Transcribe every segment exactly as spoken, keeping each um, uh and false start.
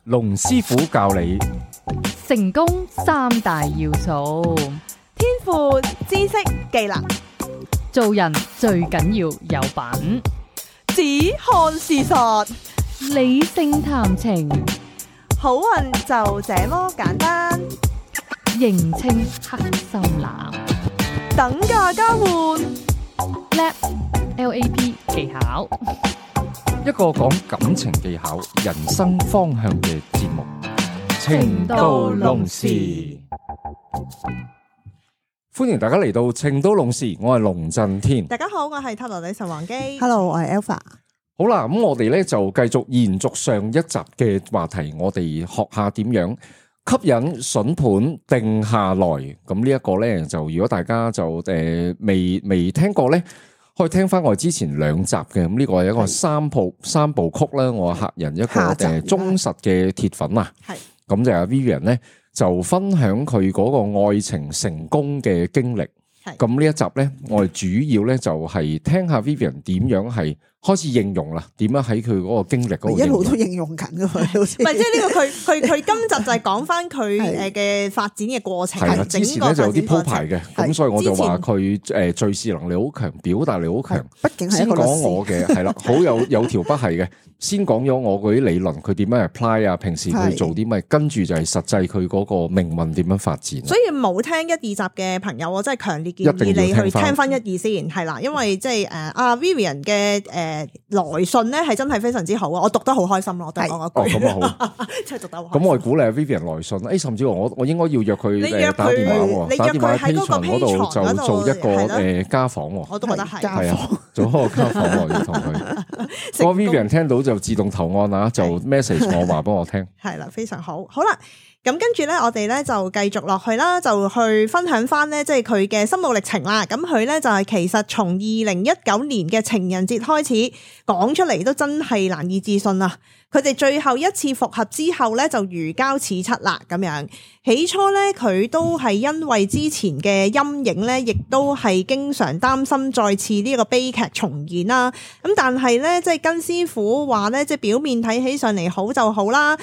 龍師傅教你成功三大要素，天賦、知識、技能，做人最緊要有品，只看事實，理性談情，好運就這麼簡單。認清黑心男，等價交換， Lab L A P 技巧，一個講感情技巧、人生方向嘅節目《情到濃時》。歡迎大家嚟到《情到濃時》，我係龍震天。大家好，我係塔羅女神王姬。Hello，我係 Alpha。好啦，咁我哋咧就繼續延續上一集嘅話題，我哋學下點樣吸引筍盤定下來。咁呢一個咧，就如果大家就誒未未聽過咧，可以聽翻我哋之前兩集嘅。咁呢個係一個三部三部曲啦。我客人一個誒忠實嘅鐵粉啊，係咁就係 Vivian 咧就分享佢嗰個愛情成功嘅經歷。咁呢一集咧，我哋主要咧就係聽下 Vivian 點樣係開始應用啦，點樣喺佢嗰個經歷嗰度，一路都應用緊噶嘛，好似唔係即係呢個佢佢佢今集就係講翻佢誒嘅發展嘅過程。係啦，之前咧就有啲鋪排嘅，咁所以我就話佢誒敘事能力好強，表達力好強。畢竟係一個律師。先講我嘅係啦，好有有條不係嘅。先講咗我嗰啲理論，佢點樣 apply 啊？平時佢做啲咩？跟住就係實際佢嗰個命運點樣發展。所以冇聽一二集嘅朋友，我真係強烈建議你去聽翻一二先，係啦，因為即係誒阿 Vivian 嘅誒來信咧係真係非常之好啊！我讀得好開心咯，我都係講一句。哦，咁啊好，真係讀得好開心。咁我鼓勵 Vivian 來信，誒，甚至我我應該要約佢誒打電話喎，打電話喺 Patreon 嗰度就做一個誒家訪喎。我都覺得係，係啊，做一個家訪喎，要同佢。個 Vivian 聽到就自動投案啊，就 message 我話俾我聽。係啦，非常好，好啦。咁跟住咧，我哋咧就繼續落去啦，就去分享翻咧，即係佢嘅心路歷程啦。咁佢咧就係其實從二零一九年嘅情人節開始講出嚟，都真係難以置信啊！佢哋最後一次復合之後咧，就如膠似漆啦。咁樣起初咧，佢都係因為之前嘅陰影咧，亦都係經常擔心再次呢個悲劇重現啦。咁但係咧，即係跟師傅話咧，即係表面睇起上嚟好就好啦。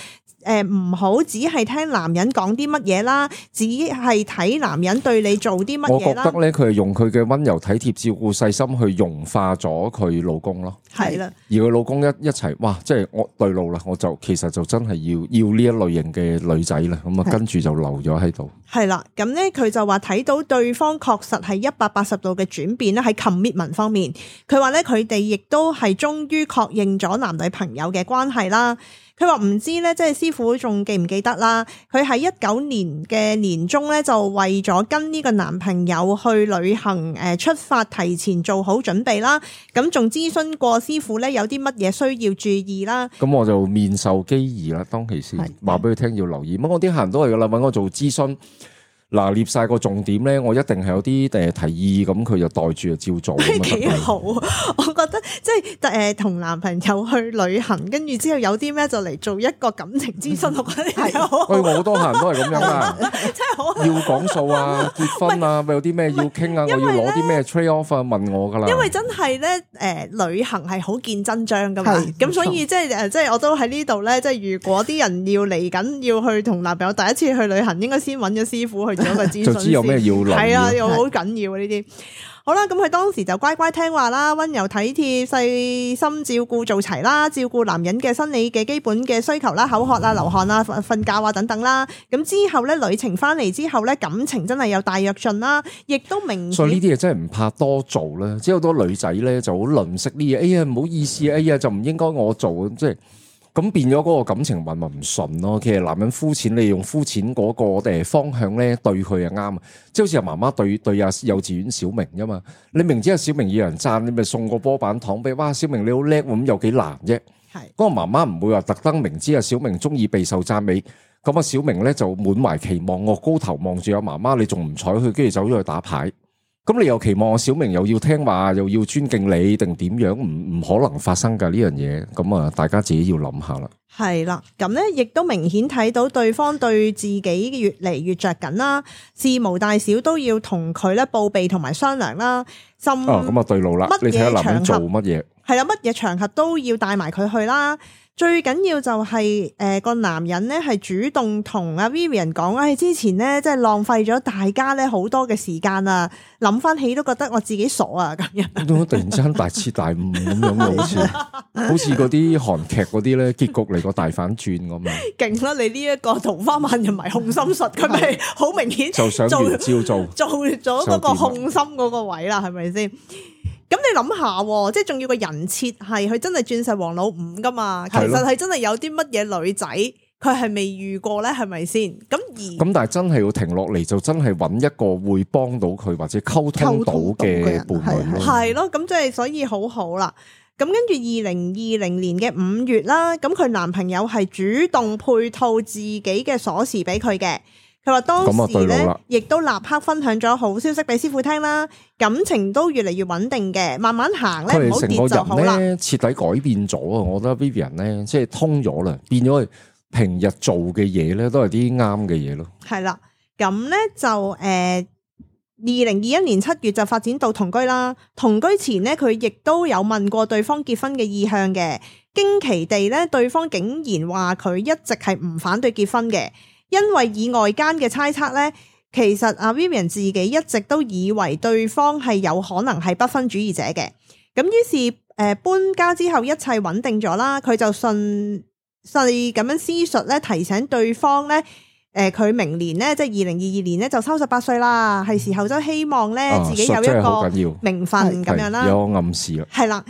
誒唔好只係聽男人講啲乜嘢啦，只係睇男人對你做啲乜嘢啦。我覺得咧，佢係用佢嘅溫柔體貼、照顧細心去融化咗佢老公咯。係啦，而佢老公一一齊，哇！即係我對路啦，我就其實就真係要要呢一類型嘅女仔啦。咁啊，跟住就留咗喺度。係啦，咁咧佢就話睇到對方確實係一百八十度嘅轉變啦，喺 commitment 方面，佢話咧佢哋亦都係終於確認咗男女朋友嘅關係啦。佢話唔知咧，即係師傅仲記唔記得啦？佢喺一九年嘅年中咧，就為咗跟呢個男朋友去旅行，誒出發提前做好準備啦。咁仲諮詢過師傅咧，有啲乜嘢需要注意啦？咁我就面授機宜啦，當其時話俾佢聽要留意。咁我啲客人都係噶啦，搵我做諮詢。嗱，列晒個重點咧，我一定係有啲誒提議，咁佢就袋住就照做。幾好，我覺得即係誒同男朋友去旅行，跟住之後有啲咩就嚟做一個感情諮詢，我覺得係好。喂，我好多客人都係咁樣啊，真係好。要講數啊，結婚啊，有啲咩要傾啊，我要攞啲咩 trade off 啊，問我噶啦。因為真係咧，誒旅行係好見真章噶嘛，咁所以即係誒，即係我都喺呢度咧，即係如果啲人要嚟緊要去同男朋友第一次去旅行，應該先揾咗師傅去。就知有咩要諗，係啊，又好緊要啊呢啲。好啦，咁佢當時就乖乖聽話啦，溫柔體貼、細心照顧做齊啦，照顧男人嘅生理嘅基本嘅需求啦，口渴啊、流汗啊、瞓覺啊等等啦。咁之後咧，旅程翻嚟之後咧，感情真係有大躍進啦，亦都明。所以呢啲嘢真係唔怕多做啦，即係好多女仔咧就好吝嗇呢嘢，哎呀唔好意思，哎呀就唔應該我做，即係。咁變咗嗰個感情運咪唔順咯。其實男人膚淺，你用膚淺嗰個誒方向咧對佢係啱，即係好似阿媽媽對對阿幼稚園小明啫嘛。你明知阿小明要人讚，你咪送個波板糖俾，哇小明你好叻喎，咁有幾難啫？係嗰個媽媽唔會話特登明知阿小明中意備受讚美，咁阿小明咧就滿懷期望，我高頭望住阿媽媽，你仲唔睬佢，跟住走咗去打牌。咁你又期望小明又要聽話，又要尊敬你，定點樣？唔唔可能發生噶呢樣嘢。咁啊，大家自己要諗下啦。係啦，咁咧亦都明顯睇到對方對自己越嚟越着緊啦，事無大小都要同佢咧報備同埋商量啦。甚哦，咁啊對路啦，你睇下男人做乜嘢？係啦，乜嘢場合都要帶埋佢去啦。最緊要就係誒個男人咧係主動同阿 Vivian 講，唉、哎、之前咧即係浪費咗大家咧好多嘅時間啊，諗翻起都覺得我自己傻啊咁樣。突然之間大徹大悟咁樣，好似好似嗰啲韓劇嗰啲咧結局嚟個大反轉咁樣。勁啦！你呢一個桃花萬人迷控心術，佢咪好明顯就想照做做咗嗰個控心嗰個位啦，係咪先？咁你諗下，即係仲要個人設係佢真係鑽石王老五噶嘛？其實係真係有啲乜嘢女仔佢係未遇過咧，係咪先？咁而咁但係真係要停落嚟，就真係揾一個會幫到佢或者溝通到嘅伴侶咯。係咯，咁即係所以好好啦。咁跟住二零二零年嘅五月啦，咁佢男朋友係主動配套自己嘅鎖匙俾佢嘅。佢話當時咧，亦都立刻分享咗好消息俾師傅聽啦，感情都越嚟越穩定嘅，慢慢行咧，唔好跌就好啦。徹底改變咗啊！我覺得 Vivian 咧，即係通咗啦，變咗佢平日做嘅嘢咧，都係啲啱嘅嘢咯。係啦，咁咧就誒，二零二一年七月就發展到同居啦。同居前咧，佢亦都有問過對方結婚嘅意向嘅，驚奇地咧，對方竟然話佢一直係唔反對結婚嘅。因為以外間嘅猜測咧，其實阿 Vivian 自己一直都以為對方係有可能係不婚主義者嘅。咁於是誒搬家之後一切穩定咗啦，佢就順勢咁樣思述咧，提醒對方咧，誒佢明年咧即係二零二二年咧就三十八歲啦，係時候就希望咧自己有一個名分咁樣啦，有暗示啦，係啦。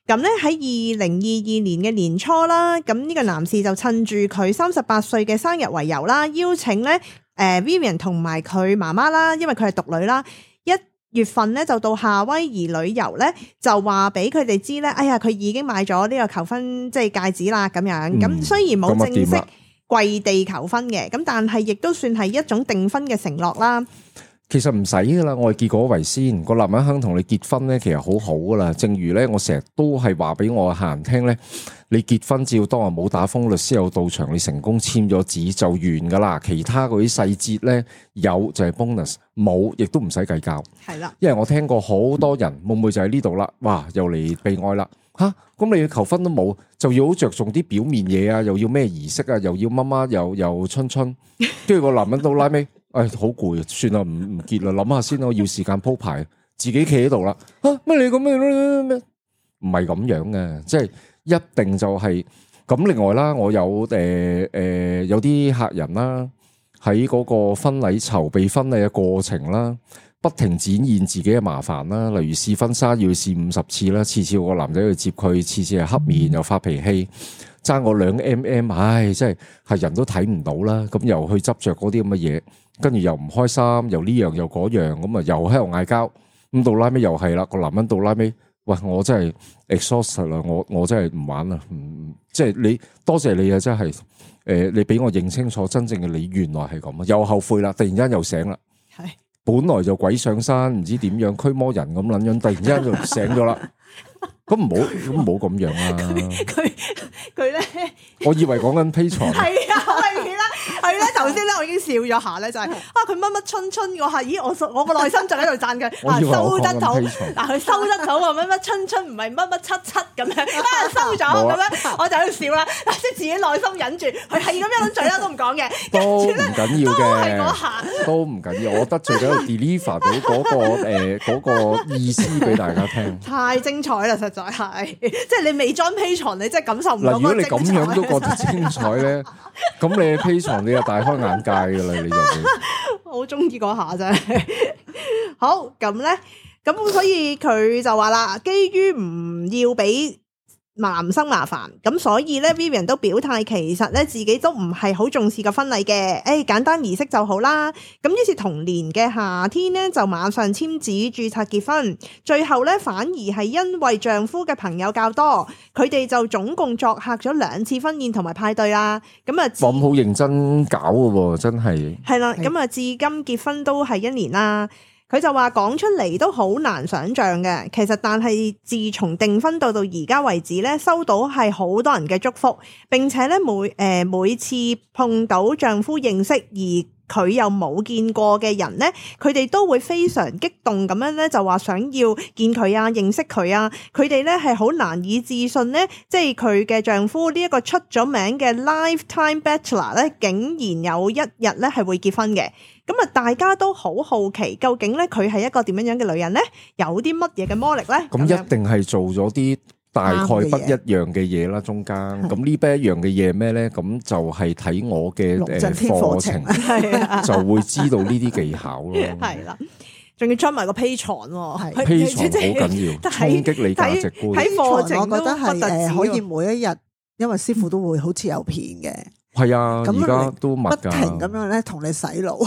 咁咧喺二零二二年嘅年初啦，咁呢個男士就趁住佢三十八歲嘅生日為由啦，邀請咧誒 Vivian 同埋佢媽媽啦，因為佢係獨女啦，一月份咧就到夏威夷旅遊咧，就話俾佢哋知咧，哎呀佢已經買咗呢個求婚即係戒指啦咁樣。咁、嗯、雖然冇正式跪地求婚嘅，咁但係亦都算係一種訂婚嘅承諾啦。其實唔使噶啦，我係結果為先，個男人肯同你結婚咧，其實好好噶啦。正如咧，我成日都係話俾我客人聽咧，你結婚照當日冇打風，律師有到場，你成功簽咗紙就完噶啦。其他嗰啲細節咧，有就係 bonus， 冇亦都唔使計較。係啦，因為我聽過好多人，會唔會就喺呢度啦？哇，又嚟被愛啦吓，咁你要求婚都冇，就要好着重啲表面嘢啊，又要咩儀式啊，又要媽媽又又春春，跟住個男人到拉尾。誒，好攰啊！算啦，唔唔結啦，諗下先咯，要時間鋪排，自己企喺度啦。啊，乜你咁樣咩？唔係咁樣嘅，即係一定就係、是、咁。另外啦，我有誒誒、呃、有啲客人啦，喺嗰個婚禮籌備婚禮嘅過程啦，不停展現自己嘅麻煩啦，例如試婚紗要試五十次啦，次次個男仔去接佢，次次係黑面又發脾氣。爭我兩 mm， 唉，真係係人都睇唔到啦。咁又去執着嗰啲咁嘅嘢，跟住又唔開心，又呢樣又嗰樣，咁啊又喺度嗌交。咁到拉尾又係啦，個男人到拉尾，喂，我真係 exhausted 啦，我我真係唔玩啦，唔即係你多謝你啊，真係誒、呃，你俾我認清楚真正嘅你，原來係咁啊，又後悔啦，突然間又醒啦，係本來就鬼上山，唔知點樣驅魔人咁撚樣，突然間就醒咗啦。咁唔好，咁唔好咁樣啊！佢佢咧，我以為講緊 Patreon，係啊，好明顯啦。佢咧頭先咧，我已經笑咗下咧，就係、是、啊，佢乜乜春春嗰下，咦，我我個內心就喺度讚佢，啊收得到，嗱佢收得到啊，乜乜春春唔係乜乜七七咁樣，啊收咗咁樣，我就喺度笑啦，即係自己內心忍住，佢係咁樣嘴啦都唔講嘅，都唔緊要嘅，都下都唔緊要，我得罪咗 deliver 到嗰、那個誒嗰、呃那個意思俾大家聽，太精彩啦，實在係，即係你未裝 Patreon，你真係感受唔到。嗱，如果你咁樣都覺得精彩咧，咁你 Patreon你就大開眼界噶啦，你就好中意嗰下真係。好，咁咧，咁所以佢就話啦，基於唔要俾男生麻煩，咁所以咧 Vivian 都表態，其實咧自己都唔係好重視個婚禮嘅，誒簡單儀式就好啦。咁於是同年嘅夏天咧就馬上簽紙註冊結婚，最後咧反而係因為丈夫嘅朋友較多，佢哋就總共作客咗兩次婚宴同埋派對啦。咁啊，咁好認真搞嘅喎，真係係啦。咁啊，至今結婚都係一年啦。佢就話講出嚟都好難想像嘅，其實但係自從訂婚到到而家為止咧，收到係好多人嘅祝福，並且咧每誒、呃、每次碰到丈夫認識而佢又冇見過嘅人咧，佢哋都會非常激動咁樣咧，就話想要見佢啊，認識佢啊。佢哋咧係好難以置信咧，即係佢嘅丈夫呢一個出咗名嘅 lifetime bachelor 咧，竟然有一日咧係會結婚嘅。咁啊，大家都好好奇，究竟咧佢係一個點樣樣嘅女人咧？有啲乜嘢嘅魔力咧？咁一定係做咗啲大概不一樣嘅嘢啦，中間咁呢邊一樣嘅嘢咩咧？咁就係睇我嘅誒課程，就會知道呢啲技巧咯。係啦，仲要出埋個 Patreon 喎，Patreon好緊要，衝擊你價值觀。喺課程，我覺得係誒可以每一日，因為師傅都會好似有片嘅。係啊，而家都密㗎，不停咁樣咧同你洗腦，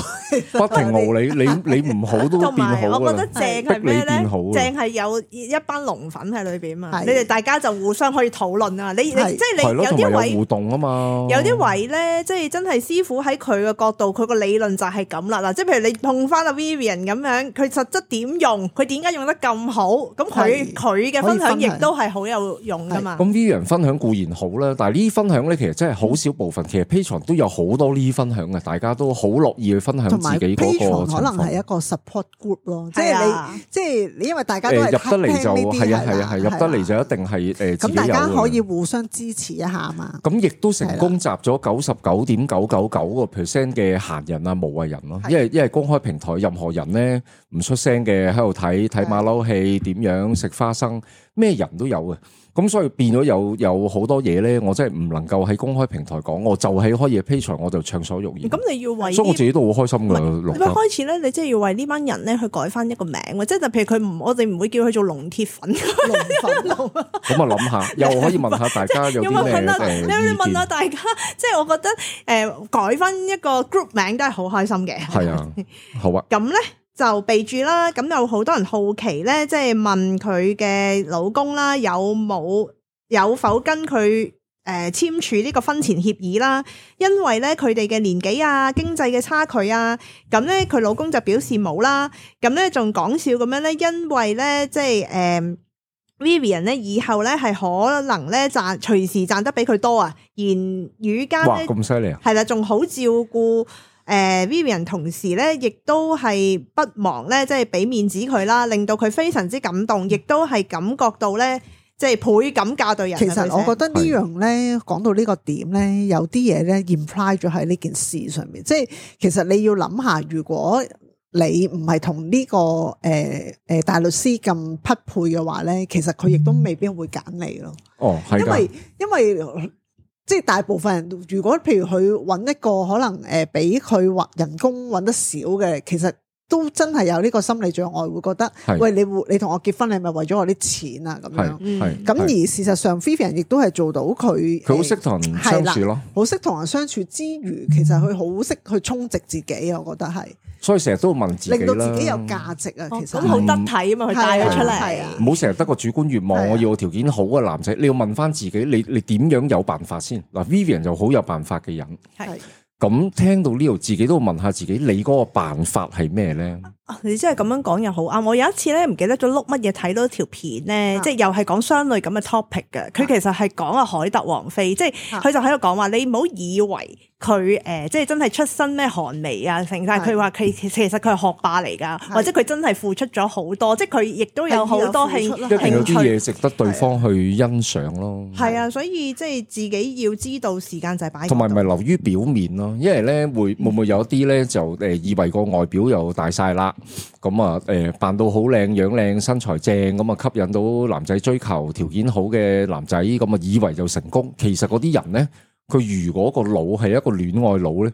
不停熬你，你你唔好都變好啦。我覺得正係咩咧？正係有一班龍粉喺裏邊嘛，你哋大家就互相可以討論啊！你你即係你有啲位互動啊嘛，有啲位咧，即係真係師傅喺佢嘅角度，佢個理論就係咁啦。嗱，即係譬如你碰翻阿 Vivian 咁樣，佢實質點用，佢點解用得咁好？咁佢佢嘅分享亦都係好有用噶嘛。咁 Vivian 分享固然好啦，但係呢啲分享咧，其實真係好少部分。其實 Patreon 都有好多呢啲分享嘅，大家都好樂意去分享自己嗰個情況。可能係一個 support group 咯，即係你，即係你，因為大家都係入得嚟就係啊係啊係入得嚟就一定係誒自己有嘅。咁大家可以互相支持一下嘛。咁亦都成功集咗九十九點九九九個 percent 嘅閒人啊無謂人咯，因為因為公開平台任何人咧唔出聲嘅喺度睇睇馬騮戲點樣食花生，咩人都有嘅。咁所以變咗有有好多嘢咧，我真係唔能夠喺公開平台講，我就係可以 Patreon 我就暢所欲言。咁你要為，所以我自己都好開心噶。你開始咧，你即係要為呢班人咧去改翻一個名，即係譬如佢唔，我哋唔會叫佢做龍鐵粉。龍粉咁啊諗下，又可以問下大家有啲咩誒意見。你問下大家，即係我覺得誒改翻一個 group 名都係好開心嘅。係啊，好啊。咁咧。就備註啦，咁有好多人好奇咧，即係問佢嘅老公啦，有冇有否跟佢誒簽署呢個婚前協議啦？因為咧佢哋嘅年紀啊、經濟嘅差距啊，咁咧佢老公就表示冇啦。咁咧仲講笑咁樣咧，因為咧即係誒 Vivian 咧以後咧係可能咧賺隨時賺得比佢多啊，言語間咧咁犀利啊，係啦，仲好照顧。誒、呃、Vivian 同時咧，亦都係不忘咧，即係俾面子佢啦，令到佢非常之感動，亦都係感覺到咧，即係倍感教對人。其實我覺得呢樣咧，講到呢個點咧，有啲嘢咧 imply 咗喺呢件事上面，即係其實你要諗下，如果你唔係同呢個誒誒、呃、大律師咁匹配嘅話咧，其實佢亦都未必會揀你咯。哦，係㗎，因為因為。即係大部分人，如果譬如佢揾一個可能誒，比佢或人工揾得少嘅，其實都真係有呢個心理障礙，會覺得喂，你你同我結婚，你係咪為咗我啲錢啊？咁樣，係咁而事實上 Vivian 亦都係做到佢，佢好識同人相處咯，好識同人相處之餘，其實佢好識去充值自己啊！我覺得係。所以成日都問自己啦，令到自己有價值啊！其實咁好得體啊嘛，佢帶佢出嚟，唔好成日得個主觀願望。我要個條件好嘅男仔，你要問翻自己，你你點樣有辦法先？嗱 Vivian 就好有辦法嘅人，係咁聽到呢度，自己都問下自己，你嗰個辦法係咩咧？你真係咁樣講又好啱。我有一次咧唔記得咗碌乜嘢睇到條片咧，即係又係講相類咁嘅 topic 嘅。佢其實係講阿凱特王妃，即係佢就喺度講話，你唔好以為佢誒即係真係出身咩寒微啊，成晒佢話佢其實佢係學霸嚟㗎，或者佢真係付出咗好多，即係佢亦都有好多興興趣。一定有啲嘢值得對方去欣賞咯。係啊，所以即係自己要知道時間就係擺。同埋唔係流於表面咯，因為咧會會唔會有啲咧就誒以為個外表又大晒啦。咁啊，誒扮到好靚樣靚身材正，咁啊吸引到男仔追求，條件好嘅男仔，咁啊以為就成功。其實嗰啲人咧，佢如果個腦係一個戀愛腦咧，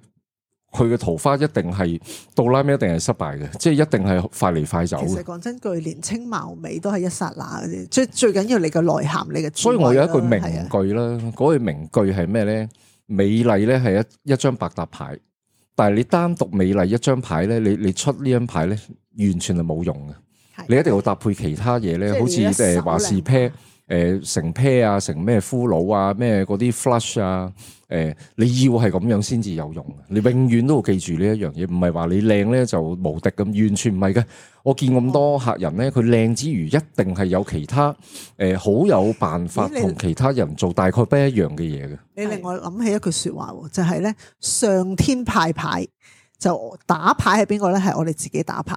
佢嘅桃花一定係到拉尾一定係失敗嘅，即係一定係快嚟快走。其實講真句，年青貌美都係一剎那嘅啫，最最緊要你嘅內涵，你嘅。所以我有一句名句啦，嗰句名句係咩咧？美麗咧係一一張百搭牌，但係你單獨美麗一張牌咧，你你出呢張牌咧，完全係冇用嘅。你一定要搭配其他嘢咧，好似誒華士啤誒成 pair 啊，成咩俘虜啊，咩嗰啲 flush 啊，誒你要係咁樣先至有用，你永遠都要記住呢一樣嘢，唔係話你靚咧就無敵咁，完全唔係嘅。我見咁多客人咧，佢靚之餘，一定係有其他誒好有辦法同其他人做大概不一樣嘅嘢嘅。你令我諗起一句說話，就係咧上天派牌，就打牌係邊個咧？係我哋自己打牌。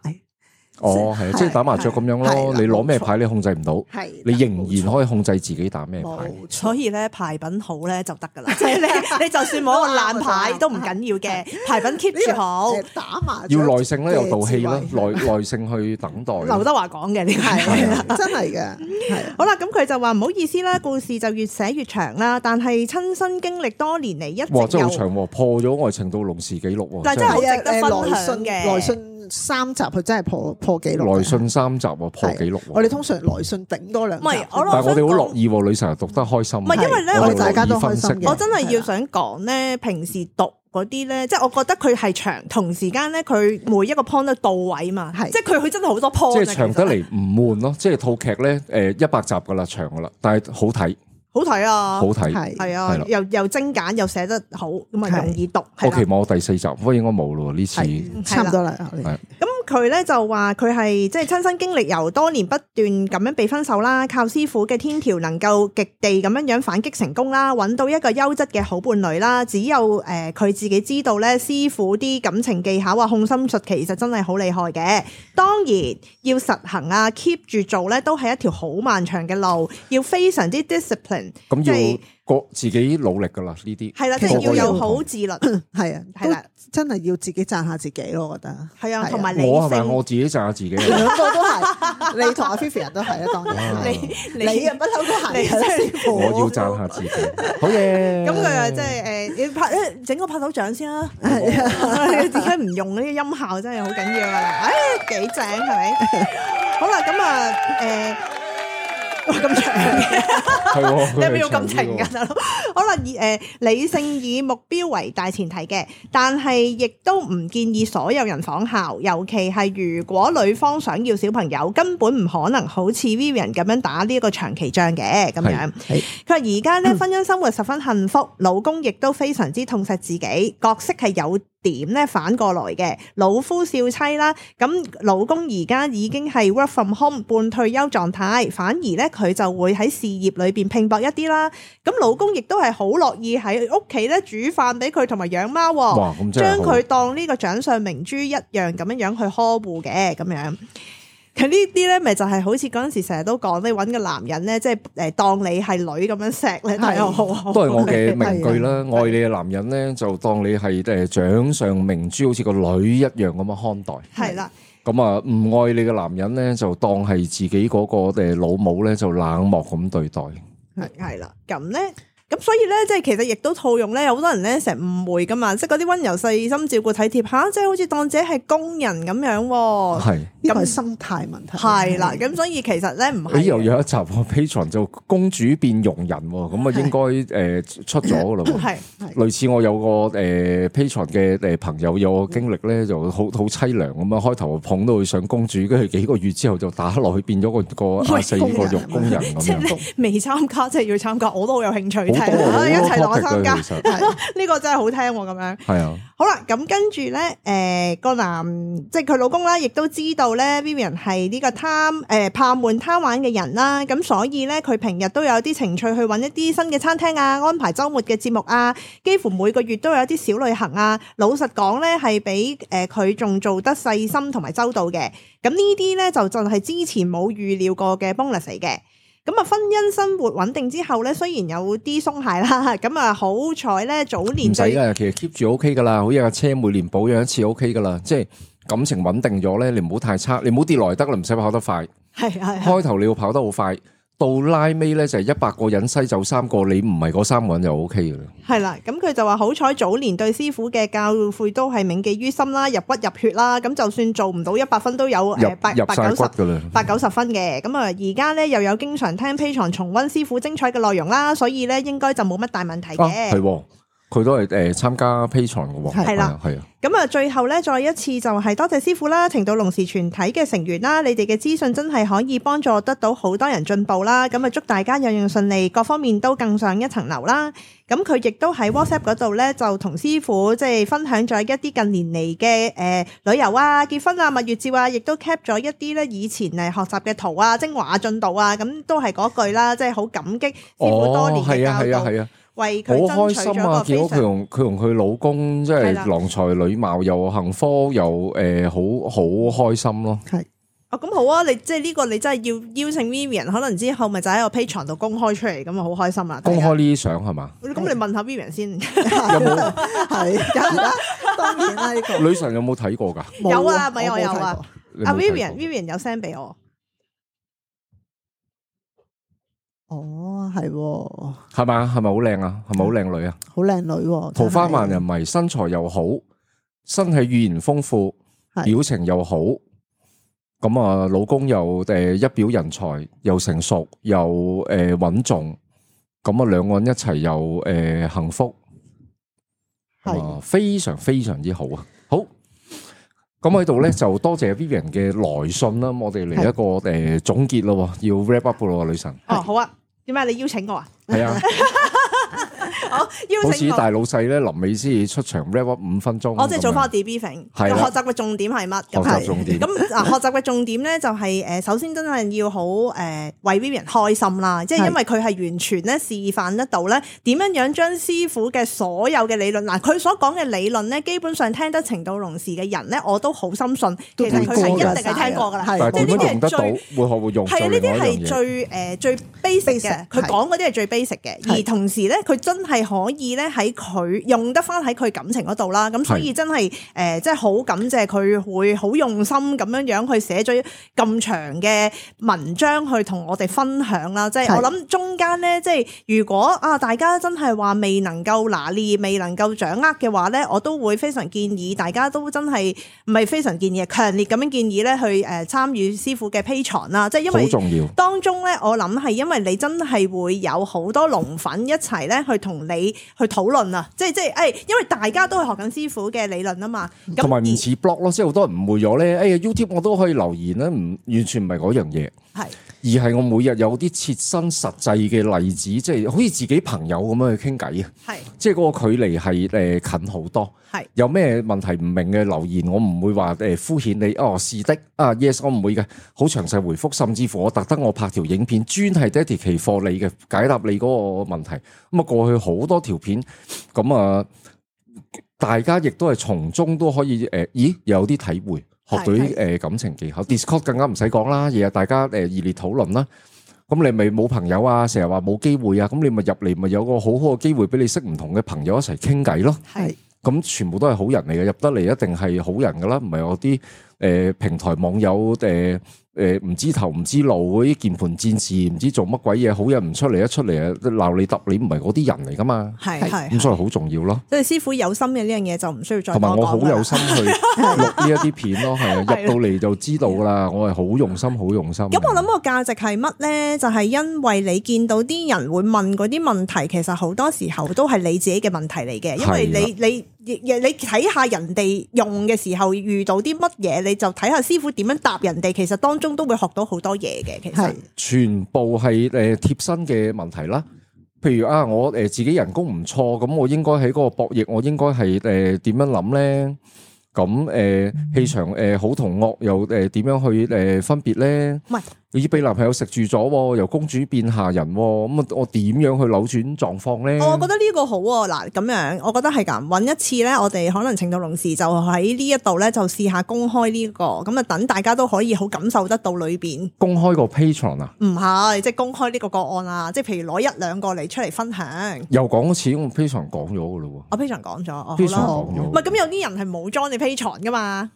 哦，係，即係打麻雀咁樣咯。你攞咩牌你控制唔到，係你仍然可以控制自己打咩牌。所以咧牌品好咧就得噶啦，即係你你就算冇一個爛牌都唔緊要嘅，牌品 keep 住好。打麻雀要耐性啦，有道氣啦，耐耐性去等待。劉德華講嘅呢個係真係嘅，係好啦，咁佢就話唔好意思啦，故事就越寫越長啦，但係親身經歷多年嚟一直哇，真係好有長喎，破咗愛情到龍氏紀錄喎。但係真係好值得分來信享嘅。來信三集佢真係破破紀錄。來信三集喎，破紀錄喎。我哋通常來信頂多兩集。唔係，我但係我哋好樂意喎，女神讀得開心。唔係因為咧，我哋我大家都開樂意分析心嘅我真係要想講咧，平時讀嗰啲咧，即係我覺得佢係長，同時間咧佢每一個 point 都到位嘛，係即係佢佢真係好多 point 啊。即係長得嚟唔悶咯，即係套劇咧誒一百集噶啦，長噶啦，但係好睇，好睇啊，好睇。係係啊，又又精簡又寫得好，咁啊容易讀。我期望我第四集，不過應該冇咯呢次。係差唔多啦。係咁佢咧就話佢係即係親身經歷，由多年不斷咁樣被分手啦，靠師傅嘅天條能夠極地咁樣樣反擊成功啦，揾到一個優質嘅好伴侶啦。只有誒佢自己知道咧，師傅啲感情技巧啊、控心術其實真係好厲害嘅。當然要實行啊 ，keep 住做咧，都係一條好漫長嘅路，要非常之 discipline。咁即係要個自己努力噶啦呢啲。係啦，即係要有好自律，係啊，係啦，真係要自己讚下自己咯，我覺得。係啊，係啊同埋理我係咪性。我自己讚下自己啊？兩個都係，你同阿 Vivian 都係啊，當然。你你啊，不嬲都係你真係我要讚下自己，好嘢。咁佢啊，即係誒，你拍誒整個拍手掌先啦。點解唔用呢啲音效真係好緊要啊？唉，幾正係咪？好啦，咁啊誒，哇咁長嘅，係喎，你係咪要咁佢係長啲喎情㗎大佬？好啦，以誒理性以目標為大前提嘅，但係亦都唔建議所有人仿效，尤其係如果女方想要小朋友，根本唔可能好似 Vivian 咁樣打呢一個長期仗嘅咁樣。係佢話而家咧婚姻生活十分幸福，老公亦都非常之痛錫自己，角色係有點咧反過來嘅，老夫少妻啦。咁老公而家已經係 work from home 半退休狀態，反而咧佢就會喺事業裏邊拼搏一啲啦。咁老公亦都係好樂意喺屋企咧煮飯俾佢同埋養貓，哇咁真係好將佢當呢個掌上明珠一樣咁樣樣去呵護嘅咁樣。佢呢啲咧，咪就係好似嗰陣時成日都講，你揾個男人咧，即係誒當你係女咁樣錫咧，係好好。都係我嘅名句啦。愛你嘅男人咧，就當你係誒掌上明珠，好似個女一樣咁樣看待。係啦。咁啊，唔愛你嘅男人咧，就當係自己嗰個誒老母咧，就冷漠咁對待。係係啦，咁咧。咁所以咧，即係其實亦都套用咧，有好多人咧成日誤會噶嘛，即係嗰啲溫柔細心照顧體貼吓，即係好似當自己係工人咁樣喎。係呢個係心態問題。係啦，咁所以其實咧唔係。誒又有一集喎 Patreon 就公主變傭人喎，咁啊應該誒出咗噶啦喎。係類似我有個誒 Patreon 嘅誒朋友有個經歷咧，就好好凄涼咁啊！開頭捧到佢上公主，跟住幾個月之後就打落去變咗個個亞四個肉工人咁即係樣。你未參加，即係要參加，我都好有興趣。好多好多一齊同我 topic 參加，嘅其實呢個真係好聽喎咁樣。係啊，好啦，咁跟住咧，誒個男即係佢老公啦，亦都知道咧 Vivian 係呢個貪誒怕悶貪玩嘅人啦，咁所以咧佢平日都有啲情趣去揾一啲新嘅餐廳啊，安排週末嘅節目啊，幾乎每個月都有一啲小旅行啊。老實講咧，係比誒佢仲做得細心同埋周到嘅。咁呢啲咧就就係之前冇預料過嘅 bonus 嚟嘅。咁啊，婚姻生活穩定之後咧，雖然有啲鬆懈啦，咁啊好彩咧，早年唔使噶，其實 keep 住 O K 噶啦，好似架車每年保養一次 O K 噶啦，即係感情穩定咗咧，你唔好太差，你唔好跌落嚟得啦，唔使跑得快。係係開頭你要跑得好快，到拉尾咧就係一百個人篩走三個，你唔係嗰三個人就 O K 噶啦。係啦，咁佢就話好彩早年對師傅嘅教誨都係銘記於心啦，入骨入血啦，咁就算做唔到一百分都有誒八入晒八九十骨噶啦，八九十分嘅。咁啊，而家咧又有經常聽 Patreon 重溫師傅精彩嘅內容啦，所以咧應該就冇乜大問題啊嘅。係喎，佢都係誒參加 Patreon 嘅喎，係啦，係啊。咁啊，最後咧，再一次就係多謝師傅啦，情到濃時全體嘅成員啦，你哋嘅資訊真係可以幫助得到好多人進步啦。咁啊，祝大家樣樣順利，各方面都更上一層樓啦。咁佢亦都喺 WhatsApp 嗰度咧，就同師傅即係分享咗一啲近年嚟嘅誒旅遊啊、結婚啊、蜜月照啊，亦都 cap 咗一啲咧以前誒學習嘅圖啊、精華進度啊，咁都係嗰句啦，即係好感激師傅多年嘅教導。係啊係啊。為佢好開爭取心啊！咗個非常見到佢同佢同佢老公，即係係啦郎才女貌，又幸福，又誒好好開心咯。係哦，咁好啊！你即係呢個，你真係要邀請 Vivian，可能之後咪就喺個 Patreon 度公開出嚟，咁啊好開心啊！公開呢啲相係嘛？咁你問下 Vivian 先，有冇係，當然啦呢個女神有冇睇過㗎？有啊，咪我冇睇我有啊過。阿你冇睇過 Vivian，Vivian 有 send 俾我，哦，係喎，係嘛？係咪好靚啊？係咪好靚女啊？好靚女喎，桃花萬人迷，迷，身材又好，身體語言豐富，係表情又好。咁啊，老公又誒一表人才，又成熟，又誒穩重。咁啊，兩個人一齊又誒幸福，係啊，非常非常之好啊！好，咁喺度咧就多謝 Vivian 嘅來信啦。咁我哋嚟一個誒總結咯，要 wrap up 咯，女神。哦好啊，點解你邀請我啊？係啊，好好似邀請我，大老細咧，臨尾先至出場 wrap up 五分鐘。我即係做翻個咁樣 debriefing，係啦學習嘅重點係乜？學習重點。咁嗱，學習嘅重點咧就係誒，首先真係要好誒為 Vivian 開心啦，即係因為佢係完全咧示範得到咧點樣樣將師傅嘅所有嘅理論，嗱佢所講嘅理論咧，基本上聽得情到濃時嘅人咧，我都好深信，其實佢係一定係聽過噶啦，係但係點即係呢啲樣用得到？係最會學會用係啊，呢啲係就另外一樣嘢。最誒最 basic 嘅， basic，佢係講嗰啲係最 basic 嘅，係而同時咧，佢真係可以咧喺佢用得翻喺佢感情嗰度啦。咁所以真係誒，即係好感謝佢會好用心咁樣樣去寫咗咁長嘅文章去同我哋分享啦。即係係我諗中間咧，即係如果啊大家真係話未能夠拿捏、未能夠掌握嘅話咧，我都會非常建議大家都真係唔係非常建議，強烈咁樣建議咧去誒參與師傅嘅 Patreon啦。即係因為好重要。當中咧，我諗係因為你真係會有好多龍粉一齊咧去同你去討論啊！即係即係誒，因為大家都係學緊師傅嘅理論啊嘛。咁而同埋唔似 blog 咯，即係好多人誤會咗咧。哎呀 YouTube 我都可以留言咧，唔完全唔係嗰樣嘢，係而係我每日有啲切身實際嘅例子，即係好似自己朋友咁樣去傾偈啊！係即係嗰個距離係誒近好多。係有咩問題唔明嘅留言，我唔會話誒敷衍你。哦，是的，啊 yes，我唔會嘅，好詳細回覆，甚至乎我特登我拍條影片，專係 dedicate for 你嘅解答你嗰個問題。咁啊過去好多條片，咁啊大家亦都係從中都可以誒，咦有啲體會，學到啲誒感情技巧。Discord 更加唔使講啦，日日大家誒熱烈討論啦。咁你咪冇朋友啊，成日話冇機會啊，咁你咪入嚟咪有個好好嘅機會俾你識唔同嘅朋友一齊傾偈咯。係咁全部都係好人嚟嘅，入得嚟一定係好人噶啦，唔係我啲誒平台網友誒誒唔知頭唔知路嗰啲鍵盤戰士，唔知做乜鬼嘢，好人唔出嚟，一出嚟啊鬧你揼你，唔係嗰啲人嚟噶嘛，係係咁所以好重要咯。即係師傅有心嘅呢樣嘢就唔需要再同埋我好多講㗎啦有心去錄呢一啲片咯，係啊，入到嚟就知道噶啦，我係好用心，好用心。咁我諗個價值係乜咧？就係因為你見到啲人會問嗰啲問題，其實好多時候都係你自己嘅問題嚟嘅，因為你你你你睇下人哋用嘅時候遇到啲乜嘢，你就睇下師傅點樣答人哋，其實當中都會學到好多嘢嘅。其實係全部係誒貼身嘅問題啦。譬如啊，我誒自己人工唔錯，咁我應該喺嗰個博弈，我應該係誒點樣諗咧？咁誒氣場誒好同惡又誒點樣去誒分別咧？唔係你俾男朋友食住咗，由公主變下人，咁啊我點樣去扭轉狀況咧？我覺得呢個好喎，嗱咁樣，我覺得係咁揾一次咧，我哋可能情到濃時就喺呢一度咧，就試下公開呢個，咁啊等大家都可以好感受得到裏邊。公開個 Patreon 啊，唔係，即係公開呢個個案啊，即係譬如攞一兩個嚟出嚟分享。又講一次，我 Patreon 講咗噶咯我 Patreon 講咗，哦好，Patreon 啦，講咗，唔係咁有啲人係冇 join 你 Patreon 噶嘛，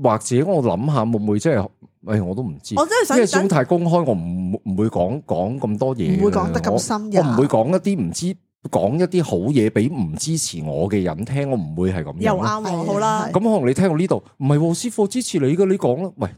或者我諗下會唔會即係，誒我都唔知，我真係想因為始終太公開，我唔唔會講講咁多嘢，唔會講得咁深入我唔會講一啲唔知講一啲好嘢俾唔支持我嘅人聽，我唔會係咁樣咯。又啱喎，好啦係，咁可能你聽到呢度，唔係喎師傅支持你嘅，你講啦，喂。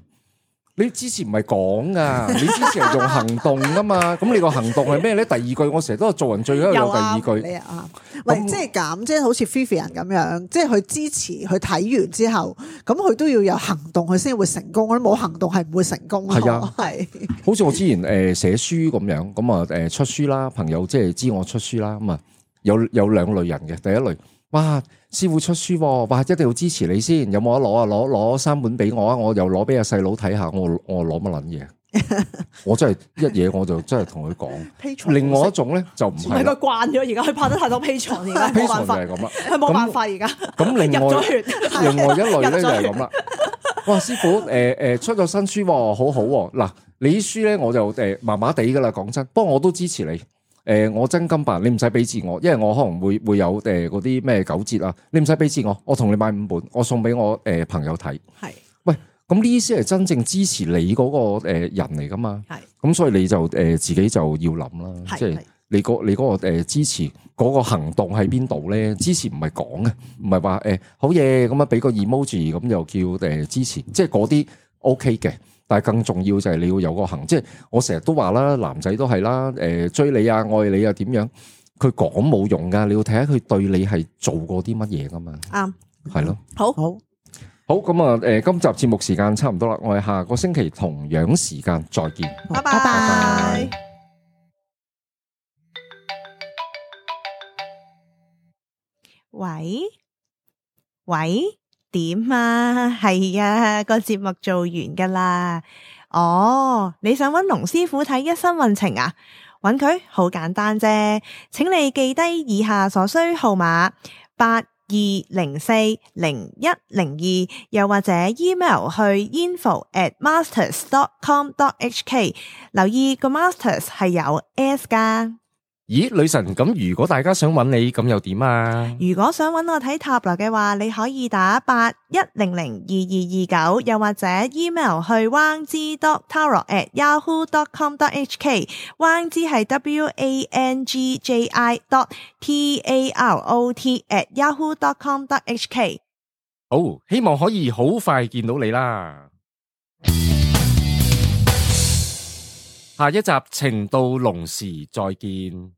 你之前唔係講噶，你之前係用行動噶嘛？咁你個行動係咩咧？第二句我成日都係做人最緊要有第二句。你啊，喂，即係咁，即係好似 Vivian 咁樣，即係佢支持佢睇完之後，咁佢都要有行動，佢先會成功。我冇行動係唔會成功。係啊，係。好似我之前誒寫書咁樣，咁啊誒出書啦，朋友即係知我出書啦，咁啊有有兩類人嘅，第一類。哇！師傅出書，哇！一定要支持你先，有冇得攞啊？攞攞三本俾我啊！我又攞俾阿細佬睇下，我我攞乜撚嘢？我真係一嘢我就真係同佢講。另外一種咧就唔係，佢慣咗而家，佢拍得太多 Patreon 而家冇辦法，係咁啦，佢冇辦法而家。咁另外另外一類咧就係咁啦。哇！師傅誒誒出咗新書，好好嗱，你啲書咧我就誒麻麻地噶啦，講真，不過我都支持你。誒、呃，我真金白，你唔使俾字我，因為我可能會會有誒嗰啲咩九折啊，你唔使俾字我，我同你買五本，我送俾我誒、呃、朋友睇。係是，喂，咁呢啲先係真正支持你嗰個誒人嚟噶嘛？係是，咁所以你就誒、呃、自己就要諗啦，是即係你個你嗰個誒支持嗰個行動喺邊度咧？支持唔係講嘅，唔係話誒好嘢咁啊，俾個 emoji 咁又叫誒支持，即係嗰啲 OK 嘅。但係更重要就係你要有個行，即係我成日都話啦，男仔都係啦，誒追你啊，愛你啊，點樣？佢講冇用噶，你要睇下佢對你係做過啲乜嘢噶嘛？啱，係咯，好好好咁啊！誒，今集節目時間差唔多啦，我哋下個星期同樣時間再見，拜拜。喂喂。點啊？係啊，個節目做完噶啦。哦，你想揾龍師傅睇一生運程啊？揾佢好簡單啫，請你記低以下所需號碼八二零四零一零二，又或者 email 去 info at masters dot com dot h k。留意個 masters 係有 s 噶。咦，女神，咁如果大家想揾你，咁又點啊？如果想揾我睇塔羅嘅話，你可以打八一零零二二二九，又或者 email 去 wang zi dot tarot at yahoo dot com dot h k。wang zi 係 w a n g j i dot t a r o t at yahoo dot com dot h k。好，希望可以好快見到你啦。下一集情到濃時再見。